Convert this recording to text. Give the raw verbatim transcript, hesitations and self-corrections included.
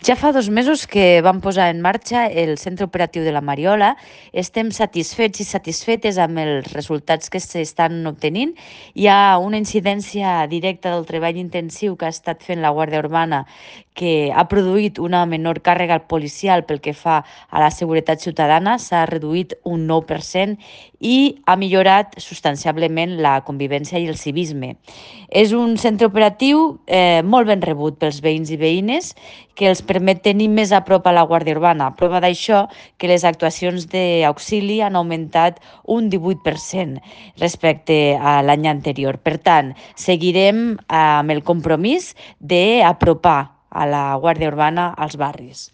Ja fa dos mesos que vam posar en marxa el centre operatiu de la Mariola. Estem satisfets i satisfetes amb els resultats que s'estan obtenint. Hi ha una incidència directa del treball intensiu que ha estat fent la Guàrdia Urbana, que ha produït una menor càrrega policial pel que fa a la seguretat ciutadana, s'ha reduït un nou per cent i ha millorat substancialment la convivència i el civisme. És un centre operatiu eh, molt ben rebut pels veïns i veïnes, que els permet tenir més a prop a la Guàrdia Urbana. Prova d'això que les actuacions d'auxili han augmentat un divuit per cent respecte a l'any anterior. Per tant, seguirem amb el compromís d'apropar a la Guàrdia Urbana als barris.